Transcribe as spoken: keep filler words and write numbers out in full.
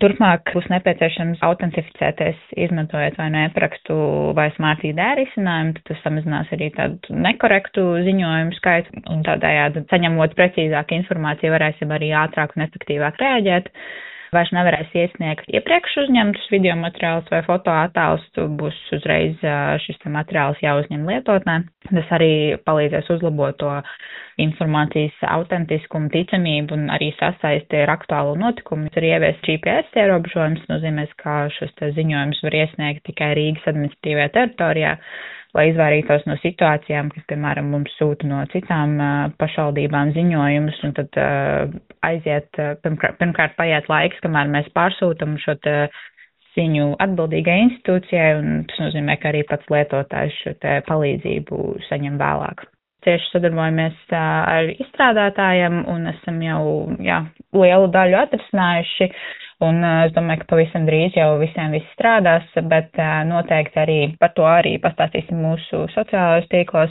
Turpmāk būs nepieciešams autentificēties, izmantojot vai nu e-parakstu vai Smart I D risinājumu, tad tas samazinās arī tādu nekorektu ziņojumu skaitu un tādējādi saņemot precīzāku informāciju varēsim arī ātrāk un efektīvāk reaģēt. Vairs nevarēs iesniegt iepriekš uzņemtus video materiālus vai fotoattēlus, būs uzreiz šis materiāls jāuzņem lietotnē. Tas arī palīdzēs uzlabot to informācijas autentiskumu, ticamību un arī sasaisti ar aktuālo notikumu. Ir ieviest G P S ierobežojums, nozīmēs, ka šos ziņojumus var iesniegt tikai Rīgas administratīvajā teritorijā, lai izvairītos no situācijām, kas, piemēram, mums sūta no citām uh, pašvaldībām ziņojumus, un tad uh, aiziet, uh, pirmkārt, pirmkārt paiet laiks, kamēr mēs pārsūtam šo te ziņu atbildīgai institūcijai, un tas nozīmē, ka arī pats lietotājs šo te palīdzību saņem vēlāk. Cieši sadarbojamies uh, ar izstrādātājiem, un esam jau jā, lielu daļu atrisinājuši. Un es domāju, ka pavisam drīz jau visiem viss strādās, bet noteikti arī par to arī pastāstīsim mūsu sociālajos tīklos.